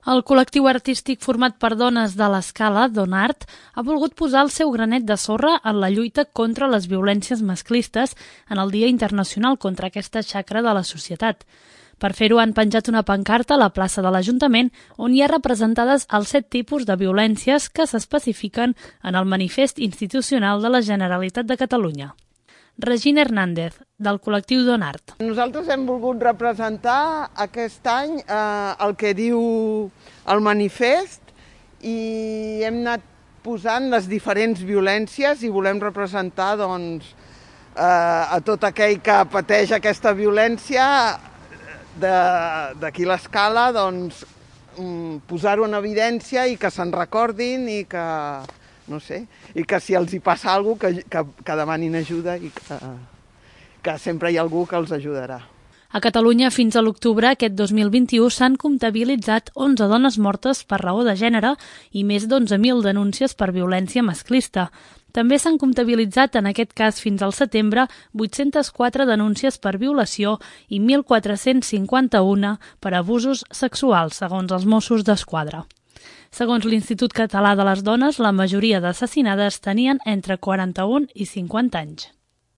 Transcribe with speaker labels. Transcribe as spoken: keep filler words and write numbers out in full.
Speaker 1: El col·lectiu artístic format per dones de l'Escala, Donart, ha volgut posar el seu granet de sorra en la lluita contra les violències masclistes en el Dia Internacional contra aquesta xacra de la societat. Per fer-ho han penjat una pancarta a la plaça de l'Ajuntament on hi ha representades els set tipus de violències que s'especifiquen en el Manifest Institucional de la Generalitat de Catalunya. Regina Hernández, del col·lectiu Donart.
Speaker 2: Nosaltres hem volgut representar aquest any eh, el que diu el manifest i hem anat posant les diferents violències i volem representar doncs, eh, a tot aquell que pateix aquesta violència d'aquí l'Escala, doncs, posar-ho en evidència i que se'n recordin i que... no sé, i que si els hi passa alguna cosa, que, que, que demanin ajuda i que, que sempre hi ha algú que els ajudarà.
Speaker 1: A Catalunya, fins a l'octubre aquest dos mil vint-i-u, s'han comptabilitzat onze dones mortes per raó de gènere i més d'onze mil denúncies per violència masclista. També s'han comptabilitzat, en aquest cas fins al setembre, vuit-centes quatre denúncies per violació i mil quatre-cents cinquanta-una per abusos sexuals, segons els Mossos d'Esquadra. Segons l'Institut Català de les Dones, la majoria d'assassinades tenien entre quaranta-un i cinquanta anys.